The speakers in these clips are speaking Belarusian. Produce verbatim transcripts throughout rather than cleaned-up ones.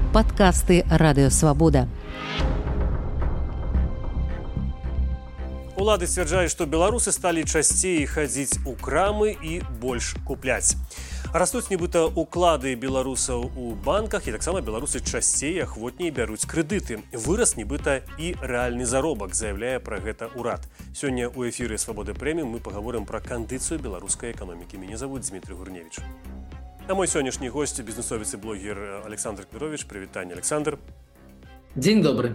Падкасты Радыёвабода. Улады сцвярджаюць, што беларусы сталі часцей хадзіць у крамы і больш купляць. Растуць нібыта уклады беларусаў у банках, і таксама беларусы часцей ахвотней бяруць крэдыты. Вырас нібыта і рэальны заробак, заяўляе пра гэта ўрад. Сёння ў эфіры «Свабода Прэміум» мы пагаворым пра кандыцыю беларускай эканомікі. Мяне завуць Дмітрий Гурневич. А мой сённяшні госць – бізнесовец і блогер Александр Кмірович. Прывітанне, Александр. Дзень добры.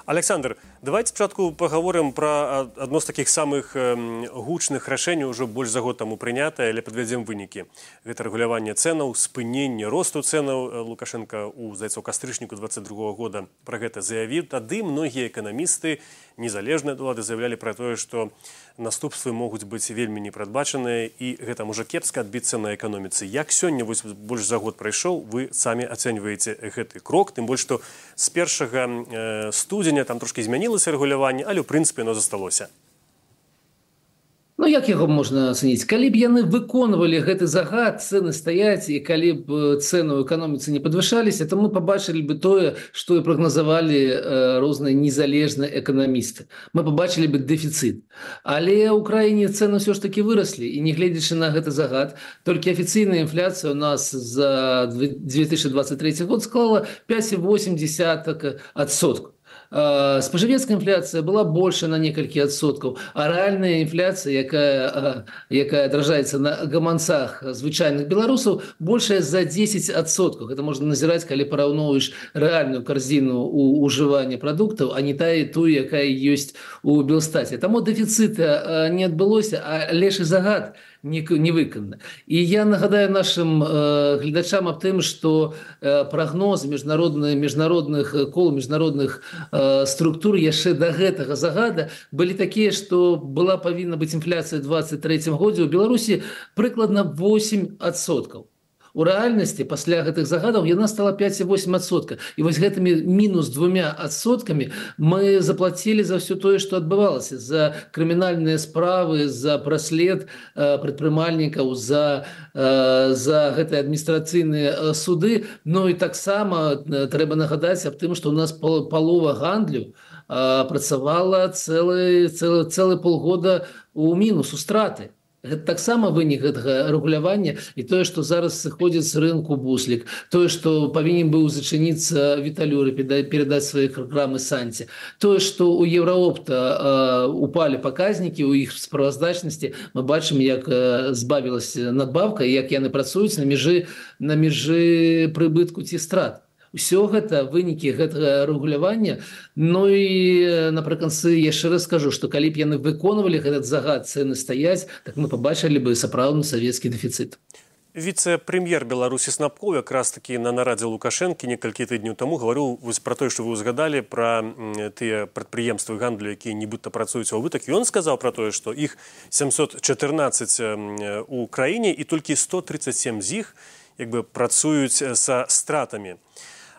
Александр, давайте спачатку пагаворым пра адно з такіх самых гучных рашэнняў, ужо больш за год таму прынятае, але падвядзем вынікі. Гэта рэгуляванне цэнаў, спыненне росту цэнаў. Лукашенко у, здаецца, у кастрычніку дваццаць другога года пра гэта заявіў. Тады многія эканамісты, незалежныя ад улады, заявлялі пра тое, што наступствы могуць быць вельмі непрадбачаныя, і гэта можа кепска адбіцца на эканоміцы. Як сёння, вось больш за год прайшоў, вы самі ацэньваеце гэты крок, тым больш, што з першага студзеня там трошкі змянілася рэгуляванне, але ў прынцыпе оно засталося. Ну, як яго можна ацаніць? Калі б яны выконвалі гэты загад, цэны стаяць, і калі б цэны ў эканоміцы не падвышаліся, то мы пабачылі бы тое, што і прагназавалі э, розныя незалежныя эканамісты. Мы пабачылі бы дэфіцыт. Але ў краіне цэны ўсё ж такі выраслі, і нягледзячы на гэты загад, толькі афіцыйная інфляцыя у нас за две тысячи двадцать третий год склала пять целых восемь десятых адсотка. Спажывецкая інфляцыя была больше на некалькі адсоткаў, а рэальная інфляцыя, якая, якая адражаецца на гаманцах звычайных беларусаў, большая за десять адсоткаў. Гэта можна назіраць, калі параўноўваеш рэальную карзіну ў ужывання прадуктаў, а не тая тую, якая ёсць у Белстаце. Таму дэфіцыта не адбылося, а лепшы загад не, не выкананы. І я нагадаю нашим э, гледачам аб тым, што э, прагнозы міжнародных, міжнародных кол, міжнародных э, структур яшчэ да гэтага загада былі такія, што была павінна быць інфляцыя ў двадцать трэцім годзе ў Беларусі прыкладна восемь адсоткаў. У рэальнасці пасля гэтых загадаў яна стала пять целых восемь адсотка. І вось гэтымі мінус двумя адсоткамі мы заплацілі за ўсё тое, што адбывалася, за крымінальныя справы, за праслед э, прадпрымальнікаў, за, э, за гэтыя адміністрацыйныя суды. Ну і таксама э, трэба нагадаць аб тым, што ў нас пол, палова гандлю э, працавала цэлы, цэлы, цэлы полгода у мінус, у страты. Гэта таксама вынік гэтага рэгулявання, і тое, што зараз сыходзіць з рынку буслік, тое, што павінен быў зачыніцца Віталюры, перадаць свае праграмы Санці, тое, што ў Еўраопта э, упалі паказнікі ў іх справаздачнасці, мы бачым, як э, збавілася надбавка і як яны працуюць на межы, на межы прыбытку ці страт. Усё гэта вынікі гэтага рэгулявання. Ну і напрыканцы яшчэ раз скажу, што калі б яны выконвалі этот загад, цэны стаяць, так мы пабачылі бы сапраўдны савецкі дэфіцыт. Віцэ-прэм'ер Беларусі Снапкоў якраз такі на нарадзе Лукашэнкі некалькі тыдняў таму гаварыў вось пра тое, што вы ўзгадалі пра тыя прадпрыемствы гандлю, якія нібыта працуюць у убытак. Ён сказаў пра тое, што іх семьсот чатырнаццаць у краіне і толькі сто тридцать семь з іх як бы працуюць са стратамі.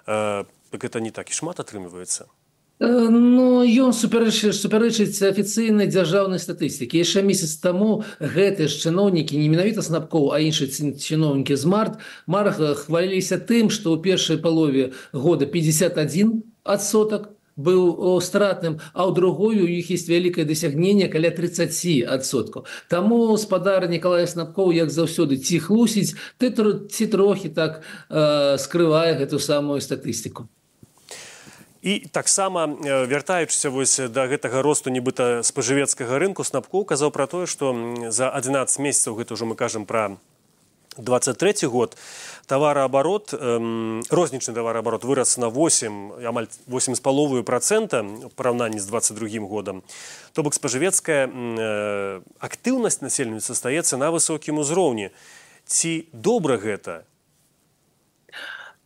Так гэта не так і шмат атрымліваецца. Ну, ён супярэчыць, супярэчыць афіцыйнай дзяржаўнай статыстыкі. Яшчэ месяц таму гэтыя ж чыноўнікі, не менавіта Снапкоў, а іншыя чыноўнікі з март, марах хваліліся тым, што ў першай палове года пятьдесят один адсотак быў стратным, а ў другой у іх ёсць вялікае дасягненне каля тридцать адсоткаў. Таму спадар Нікалай Снапкоў, як заўсёды, ці хлусіць, ці трохі так э, скрывае гэту самую статыстыку. І таксама, вяртаючыся вось да гэтага росту нібыта спажывецкага рынку, Снапкоў казаў пра тое, што за адзінаццаць месяцаў, гэта ўжо мы кажам пра двадцать трэці год, товарооборот, эм, рознічны товарооборот вырос на восемь, амаль восемь з паловаю процента в параўнанні з двадцать другім годам. То бок спажывецкая э, актыўнасць насельніцтва застаецца на высокім узроўні. Ці добра гэта?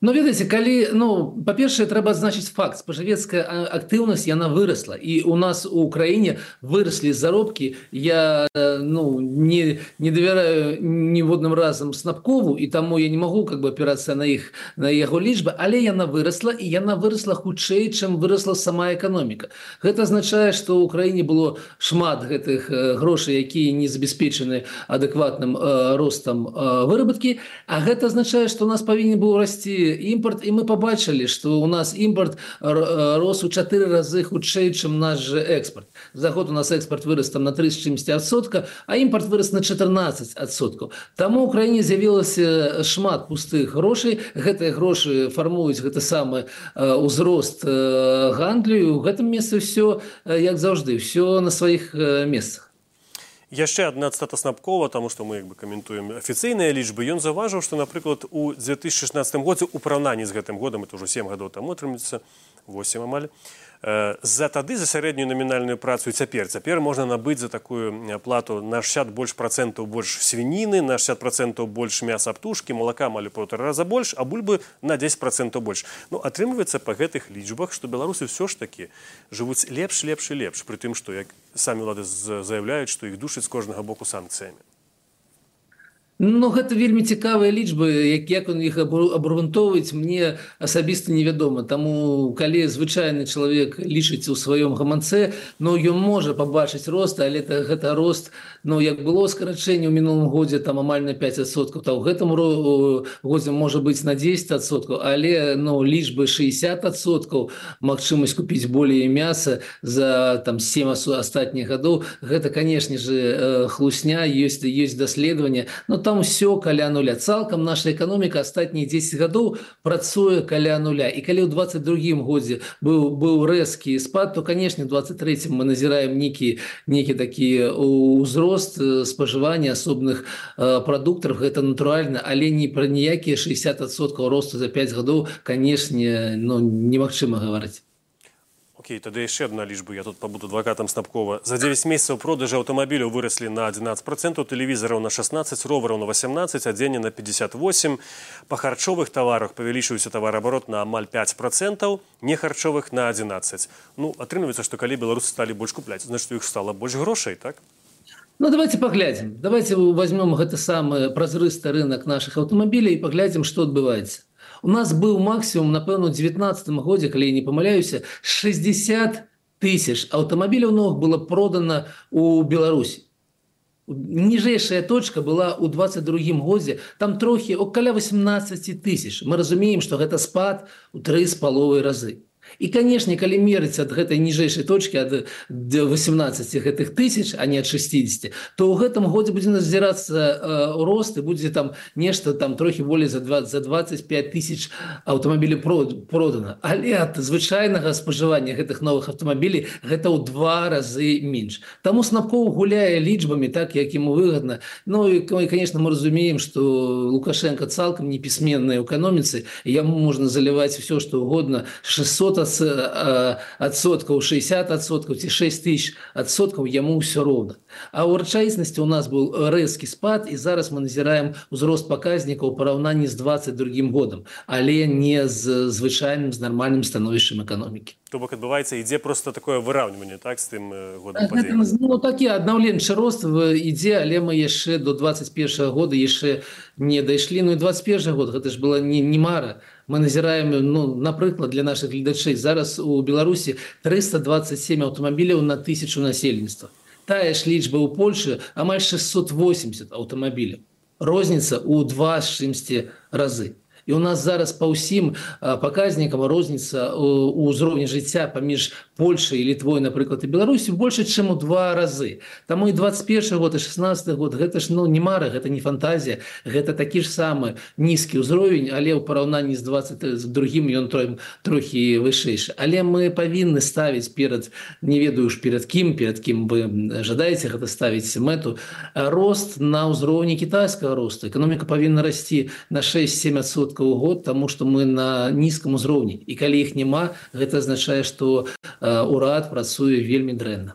Ну, ведаеце, калі, ну, па-першае, трэба адзначыць факт. Спажывецкая актыўнасць, яна вырасла. І у нас у краіне выраслі заробкі. Я, ну, не, не давяраю ніводным разам Снапкову, і таму я не магу как бы апірацца на іх, на яго лічбы, але яна вырасла, і яна вырасла хутчэй, чым вырасла сама эканоміка. Гэта азначае, што ў краіне было шмат гэтых грошай, якія не забяспечаны адэкватным э, ростам э, выработкі, а гэта азначае, што у нас павінен быў расці імпорт, і мы побачили, што у нас імпорт рос у чатыры разы хутчэй, чым наш же экспорт. За год у нас экспорт вырос там на тридцать адсоткаў, а імпорт вырос на чатырнаццаць адсоткаў. Таму ў краіне з'явілася шмат пустых грошай, гэтыя грошы фармуюць гэты самы ўзрост гандлю, і ў гэтым месцы все, як заўжды, все на сваіх месцах. Яшчэ адна цытата Снапкова, таму што мы як бы каментуем афіцыйныя лічбы. Ён заўважыў, што, напрыклад, у две тысячи шестнадцатым годзе у параўнанні з гэтым годам, это ўжо сем гадоў таму атрымліваецца, восемь амаль, за тады за сярэднюю намінальную працу і цяпер. Цяпер можна набыць за такую плату на шэсцьдзесят больш процентаў больш свініны, на шэсцьдесят процентаў больш мяса птушкі, малака амаль у паўтара раза больш, а бульбы на дзесяць процентаў больш. Ну, атрымліваецца па гэтых лічбах, што беларусы ўсё ж такі жывуць лепш, лепш і лепш, пры тым, што як самі ўлады заяўляюць, што іх душаць з кожнага боку санкцыямі. Ну, гэта вельмі цікавыя лічбы, як, як он іх абгрунтоўваць, мне асабіста невядома. Таму, калі звычайны чалавек лічыць у сваём гаманцы, ну, ён можа пабачыць рост, але это, гэта рост, ну, як было скарачэнне ў мінулым годзе, там амаль на пяць адсоткаў, то ў гэтым годзе можа быць на дзесяць адсоткаў, але, ну, лічбы шэсцьдесят адсоткаў, магчымасць купіць болей мяса за там сем астатніх гадоў, гэта, канешне же, хлусня, ёсць, ёсць даследаванне, но там все каля нуля. Цалкам наша эканоміка астатнія дзесяць гадоў працуе каля нуля. І калі ў двадцать другім годзе быў, быў рэзкі спад, то, канешне, у двадцать трэцім мы назіраем нейкі, нейкі такі ўзрост спажывання асобных э, прадуктаў. Гэта натуральна, але не пра ніякія шэсцьдесят адсоткаў росту за пяць гадоў, канешне, ну, немагчыма гаварыць. Окей, тады яшчэ одна лічба, я тут пабуду адвакатам Снапкова. За дзевяць месяцаў продажы аўтамабіляў выраслі на адзінаццаць процентаў, тэлевізараў на шаснаццаць, ровараў на васямнаццаць, адзення на пятьдесят восемь. Па харчовых таварах павялічыўся тавараабарот на амаль пять процентаў, нехарчовых на адзінаццаць. Ну, атрымліваецца, што калі беларусы сталі больш купляць, значит, у іх стала больш грошай, так? Ну, давайте поглядим. Давайте возьмем гэты самы празрысты рынок наших аўтамабілей і поглядим, што адбываецца. У нас быў максімум, напэўна, у девятнадцатым годзе, калі я не памыляюся, шестьдесят тысяч аўтамабіляў новых было продано у Беларусі. Ніжэйшая точка была ў двадцать другім годзе, там трохі около восемнадцать тысяч. Мы разумеем, што гэта спад у тры з паловай разы. І, канешне, калі мерыць ад гэтай ніжэйшай точкі ад восемнадцати гэтых тысяч, а не ад шестидесяти, то ў гэтым годзе будзе назірацца э, рост і будзе там нешта там трохі болей за двадцать пять тысяч аўтамабілей продана. Але ад звычайнага спажывання гэтых новых аўтамабілей гэта ў два разы менш. Таму Снапкоў гуляе лічбамі так, як ему выгодна. Ну і, конечно, мы разумеем, што Лукашенко цалкам непісьменны ў эканоміцы, яму можна заліваць все, што угодно, шестьсот адсоткаў, шестьдесят адсоткаў ці шесть тысяч адсоткаў, яму ўсё роўна. А ў рэчаіснасці у нас быў рэзкі спад, і зараз мы назіраем узрост паказнікаў у параўнанні з двадцать другім годам, але не з звычайным, з нармальным становішчам эканомікі. То бок адбываецца, ідзе просто такое выраўніванне, так, з тым годам падзення? Ну, такі аднаўленчы рост ідзе, але мы яшчэ до двадцать першага года яшчэ не дайшлі. Ну і двадцать першы год, гэта ж была не, не мара. Мы назіраем, ну, напрыклад, для наших гледачэй, зараз у Беларусі триста двадцать семь аўтамабіляў на тысячу насельніцтва. Тая ж лічба ў Польшы амаль шестьсот восемьдесят аўтамабіляў. Розніца ў два з чымсьці разы. І у нас зараз па ўсім паказнікам розніца ў ўзроўні жыцця паміж Польшай і Літвой, напрыклад, і Беларусі больше, чым у два разы. Таму і двадцать першы год, і шестнадцаты год, гэта ж, ну, не мара, гэта не фантазія, гэта такі ж самы нізкі ўзровень, але ў параўнанні з двадцать другім ён трохі вышэйшы. Але мы павінны ставіць перад, не ведаю ж перад кім, перад кім вы жадаеце гэта ставіць мэту, рост на ўзроўні кітайскага росту. Эканоміка павінна расці на шесть-семь адсоткаў у год, таму што мы на нізкім узроўні. І калі іх няма, гэта азначае, што урад працуе вельмі дрэнна.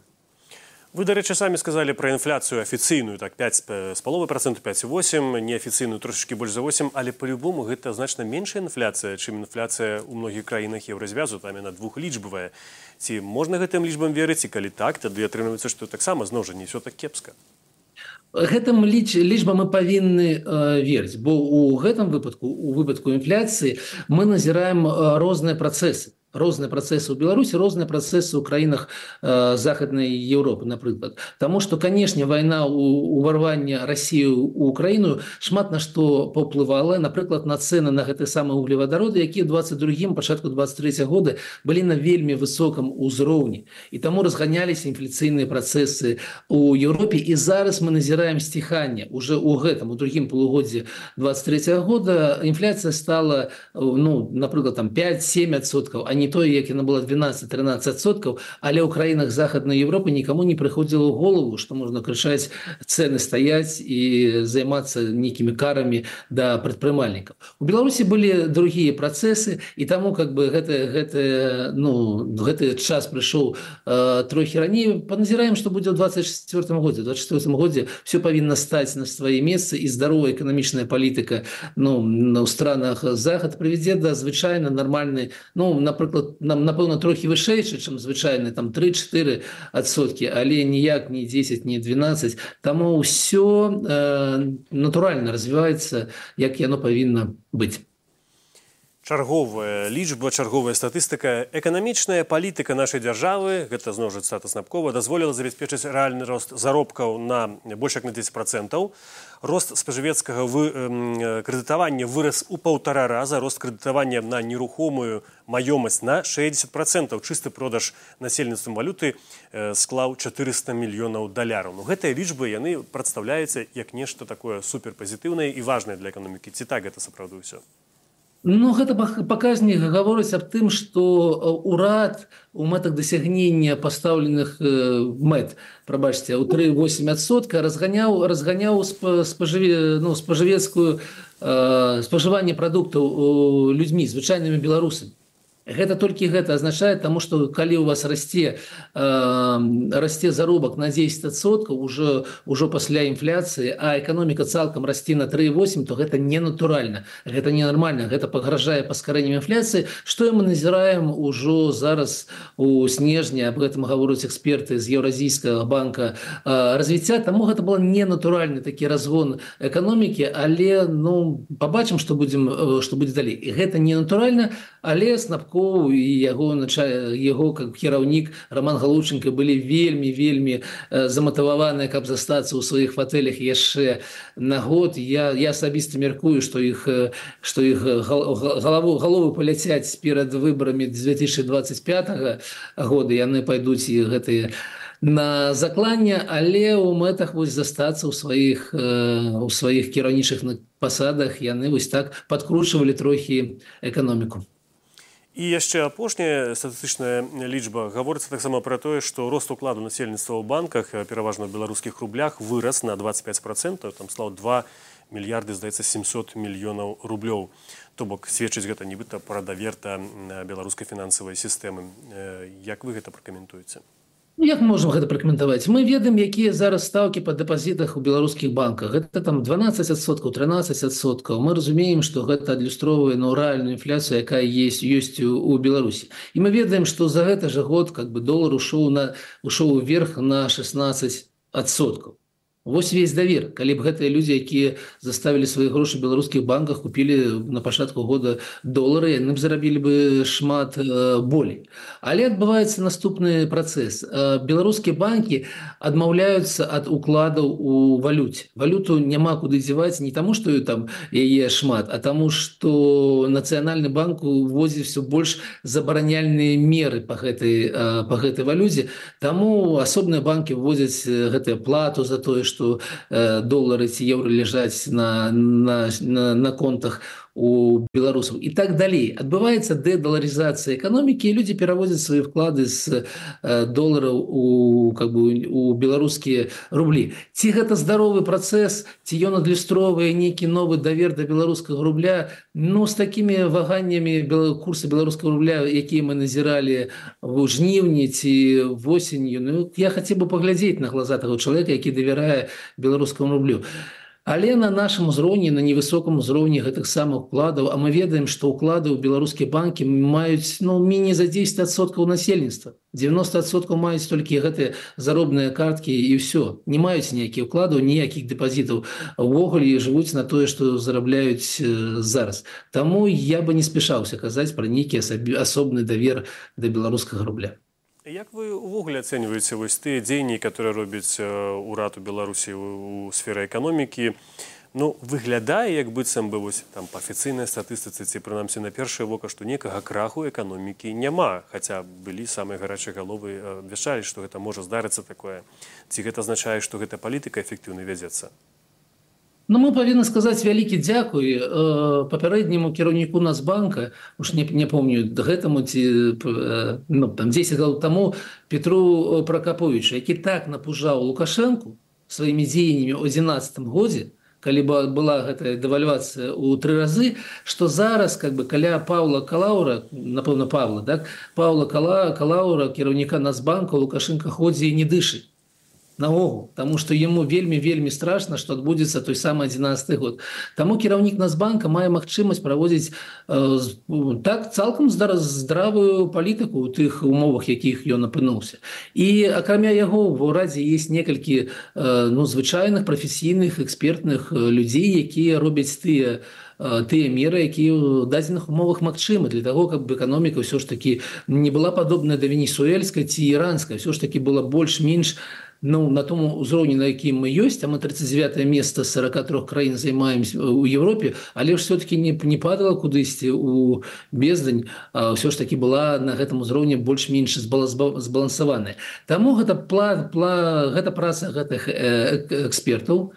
Вы, дарэчы, самі сказалі пра інфляцыю афіцыйную, так, пять з паловай процента, пять і восемь, неафіцыйную трошечкі больш за восемь, але по-любому гэта значна меншая інфляцыя, чым інфляцыя ў многіх краінах еўразвязу, там яна двухлічбавая. Ці можна гэтым лічбам верыць, і калі так, тады атрымліваецца, што таксама зноў жа не ўсё так кепска. Гэтым ліч, лічбам мы павінны э, верыць, бо ў гэтым выпадку, у выпадку інфляцыі, мы назіраем э, розныя працэсы. розныя працэсы ў Беларусі, розныя працэсы ў краінах э, захаднай Еўропы, напрыклад. Таму што, канешне, вайна ў уварвання Расіі ў Украіну шмат на што паўплывала, напрыклад, на цэны на гэты самы углевадароды, якія ў двадцать другім, пачатку двадцать трэцяга года былі на вельмі высокам узроўні. І таму разганяліся інфляцыйныя працэсы ў Еўропе. І зараз мы назіраем сціханне. Уже ў гэтым, у другім полугоддзі двадцать трэцяга года інфляцыя стала, ну, напрыклад, там пять-семь адсоткаў, а не тое, як яна была двенадцать-тринадцать адсоткаў, але ў краінах Захаднай Еўропы нікому не прыходзіла ў голову, што можна крычаць, цэны стаяць і займацца нейкімі карамі да прадпрымальнікаў. У Беларусі былі другія працэсы, і таму как бы гэты, гэты, ну, гэты час прыйшоў э, трохі раней. Паназіраем, што будзе ў двадцать четвёртым годзе. У двадцать четвёртым годзе все павінна стаць на свае месцы, і здаровая эканамічная палітыка, ну, ў странах Захад прывядзе да звычайна нармальнай, ну, напрыклад, нам, напэўна, трохі вышэйшы, чым звычайны, там тры-чатыры адсоткі, але ніяк не дзесяць, не двенадцать. Таму ўсё э, натуральна развіваецца, як яно павінна быць. Чарговая лічба, чарговая статыстыка. Эканамічная палітыка нашай дзяржавы, гэта зноў жа цытата Снапкова, дазволіла забяспечыць рэальны рост заробкаў на больш як на дзесяць процентаў. Рост спажывецкага вы, э, крэдытавання вырас у паўтара раза, рост крэдытавання на нерухомую маёмасць на шэсцьдзесят процентаў. Чысты продаж насельніцтвам валюты э, склаў чатырыста мільёнаў даляраў. Ну, гэтыя лічбы, яны прадстаўляюцца як нешта такое суперпазітыўнае і важнае для эканомікі. Ці так гэта сапраўды ўсё? Ну, гэта паказнік гаворыць аб тым, што урад у мэтах дасягнення пастаўленых мэт, прабачце, у тры цэлых восем адсотка разганяў, разганяў спажыве, ну, спажывецкую э, спажыванне прадуктаў людзьмі, звычайнымі беларусамі. Гэта толькі гэта азначае, таму што калі у вас расце, э, расце заробак на дзесяць адсоткаў ужо, ужо пасля інфляцыі, а эканоміка цалкам расце на тры цэлых восем, то гэта ненатуральна, гэта ненармальна, гэта пагражае паскарэннем інфляцыі, што мы назіраем ужо зараз у снежні, аб гэтым гавораць эксперты з Еўразійскага банка э, развіцця, таму гэта был ненатуральны такі разгон эканомікі, але, ну, пабачым, што будзем, што будзе далей. І гэта ненатуральна, але Снапков і яго, яго как кіраўнік Роман Галушченко былі вельмі-вельмі заматываваныя, каб застацца ў сваіх фатэлях яшчэ на год. Я, я асабіста мяркую, што іх, што іх галаву, галовы паляцяць перад выбарамі две тысячи двадцать пятага года. Яны пайдуць і гэтыя на закланне, але ў мэтах вось застацца ў сваіх, у сваіх кіраўнічых пасадах яны вось так падкручвалі трохі эканоміку. І яшчэ апошняя статыстычная лічба гаворыцца таксама пра тое, што рост укладу насельніцтва ў банках, пераважна ў беларускіх рублях, вырас на двадцать пять процентаў, там стаў два мільярды, здаецца, семьсот мільёнаў рублёў. То бок сведчыць гэта нібыта пра давер да беларускай фінансавай сістэмы. Як вы гэта пракаментуеце? Як можам гэта пракаментаваць? Мы ведаем, якія зараз стаўкі па дэпазітах у беларускіх банках. Гэта там дванаццаць адсоткаў, трынаццаць адсоткаў. Мы разумеем, што гэта адлюстроўвае ну, рэальную інфляцыю, якая есть, ёсць у, у Беларусі. І мы ведаем, што за гэты жа год как бы, долар ушоў, на, ушоў вверх на шестнадцать адсоткаў. Вось весь давер. Калі б гэтыя людзі, якія заставілі свае грошы ў беларускіх банках, купілі на пачатку года долары, яны б зарабілі бы шмат э, болей. Але адбываецца наступны працэс. Э, беларускія банкі адмаўляюцца ад укладаў у валюце. Валюту няма куды дзяваць не таму, што там яе шмат, а таму, што Нацыянальны банк уводзіць все больш забараняльныя меры па гэтай, э, па гэтай валюце. Таму асобныя банкі вводзяць гэтую плату за тое, што э, долары ці еўра ляжаць на, на, на, на контах у беларусаў і так далей. Адбываецца дэдаларызацыя эканомікі, і людзі пераводзяць свае вклады з э, долараў у, как бы, у беларускія рублі. Ці гэта здаровы працэс, ці ён адлюстроўвае нейкі новы давер да беларускага рубля? Ну, з такімі ваганнямі курса беларускага рубля, якія мы назіралі ў жніўні ці восенню, ну, я хацеў бы паглядзець на глаза таго чалавека, які давярае беларускаму рублю. Але на нашым узроўні, на невысоком узроўні гэтых самых укладаў, а мы ведаем, што ўклады ў беларускія банкі маюць ну, меней за дзесяць адсоткаў насельніцтва. дзевяносто адсоткаў маюць толькі гэтыя заробныя карткі і ўсё. Не маюць ніякіх укладаў, ніякіх дэпазітаў. Увогуле жывуць на тое, што зарабляюць зараз. Таму я бы не спяшаўся казаць пра нейкі асобны давер да беларускага рубля. Як вы увогуле ацэньваеце вось тыя дзеянні, которые робіць урад у Беларусі у сферы эканомікі? Ну, выглядае, як быццам бы вось там па афіцыйнай статыстыцы ці прынамсі на першае вока, што некага краху эканомікі няма, хаця былі самыя гарачыя галовы абвяшчалі, што гэта можа здарыцца такое. Ці гэта азначае, што гэта палітыка эфектыўна вядзецца? Ну, мы павінны сказаць вялікі дзякуй э, папярэдняму кіраўніку Нацбанка, уж не, не помню гэтаму ці э, ну, там дзесяць гадоў таму Петру Пракаповичу, які так напужаў Лукашэнку сваімі дзеяннямі ў адзінаццатым годзе, калі была гэтая дэвальвацыя ў тры разы, што зараз как бы каля Паўла Калаўра, напэўна Павла, так, Паўла Кала, Калаўра, кіраўніка Нацбанка, Лукашенко ходзе і не дышы. Наогул, таму што яму вельмі-вельмі страшна, што адбудзецца той самы адзінаццаты год. Таму кіраўнік Нацбанка мае магчымасць праводзіць э, так цалкам здравую палітыку ў тых умовах, якіх ён апынуўся. І акрамя яго ў урадзе ёсць некалькі э, ну, звычайных прафесійных экспертных людзей, якія робяць тыя тыя меры, якія ў дадзеных умовах магчымы для таго, каб эканоміка ўсё ж такі не была падобная да венесуэльскай ці іранскай, ўсё ж такі была больш-менш ну, на том узроўні, на якім мы ёсць, а мы тридцать девятое место з сорока трёх краін займаем у Европе, але ж все-таки не, не падала кудысьці у бездань, а ўсё ж таки была на гэтым узроўні больш-менш збалансаваная. Таму гэта, пла, пла, гэта праца гэтых экспертаў,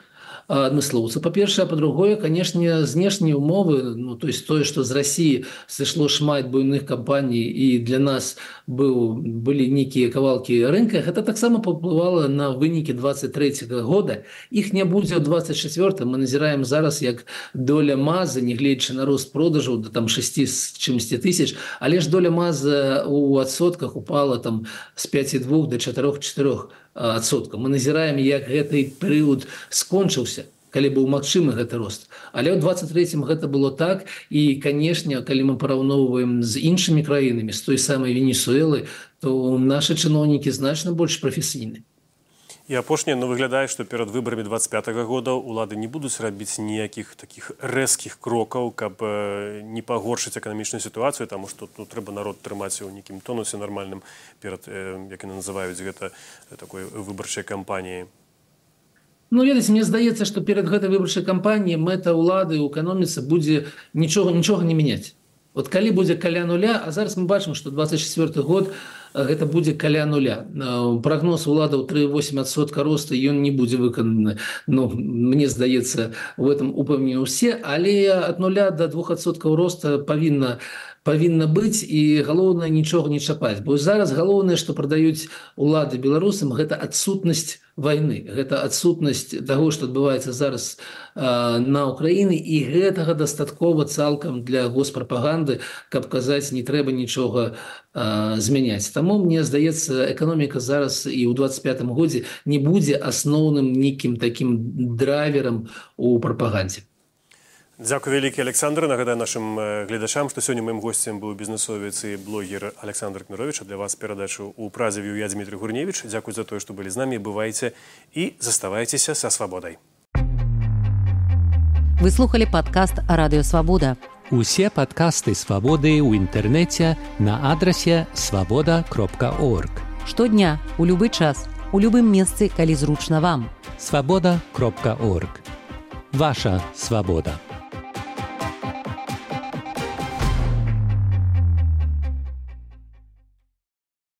адмыслоўца, па-першае, а па-другое, канешне, знешнія умовы, ну, то есть тое, што з Расіі сышло шмат буйных кампаній і для нас быў, былі нейкія кавалкі рынка, гэта таксама паўплывала на вынікі двадцать трэцяга года. Іх не будзе ў двадцать чацвёртым. Мы назіраем зараз, як доля МАЗа, нягледзячы на рост продажаў да там шэсці з чымсьці тысяч, але ж доля МАЗа ў адсотках упала там з пяці двух да чатырох чатырох адсоткаў. Мы назіраем, як гэты перыяд скончыўся, калі быў магчымы гэты рост. Але ў двадцать трэцім гэта было так, і, канешне, калі мы параўноўваем з іншымі краінамі, з той самай Венесуэлы, то нашы чыноўнікі значна больш прафесійныя. І апошняе, ну, выглядае, што перад выбарамі двадцать пятага года улады не будуць рабіць ніякіх такіх рэзкіх крокаў, каб не пагоршыць эканамічную сітуацыю, таму што ну, трэба народ трымаць у нейкім тонусе нармальным перад, як яны называюць гэта, такой выбарчай кампаніяй. Ну, ведаеце, мне здаецца, што перад гэтай выбарчай кампаніяй мэта ўлады ў эканоміцы будзе нічога, нічога не мяняць. Вот калі будзе каля нуля, а зараз мы бачым, што двадцать чацвёрты год гэта будзе каля нуля. Прагноз уладаў тры цэлых восем адсотка роста, ён не будзе выкананы. Ну, мне здаецца, в этом упэўнены ўсе, але ад нуля до двух адсоткаў роста павінна павінна быць, і галоўнае нічога не чапаць. Бо зараз галоўнае, што прадаюць улады беларусам, гэта адсутнасць вайны, гэта адсутнасць таго, што адбываецца зараз э, на Ўкраіне, і гэтага дастаткова цалкам для госпрапаганды, каб казаць, не трэба нічога э, змяняць. Таму, мне здаецца, эканоміка зараз і ў двадцать пятым годзе не будзе асноўным нейкім такім драйверам у прапагандзе. Дзякуй вялікі, Александр. Нагадаю нашым гледачам, што сёння маім госцем быў бізнесовец і блогер Александр Кмірович. А для вас перадачу ў празе вёў я, Дмітрий Гурневич. Дзякуй за тое, што былі з намі. Бывайце і заставайцеся са свабодай. Вы слухали падкаст «Радыё Свабода». Усе падкасты «Свабоды» ў інтэрнэце на адрасе свабода кропка орг. Штодня, у любы час, у любым месцы, калі зручна вам. свабода кропка орг. Ваша свабода.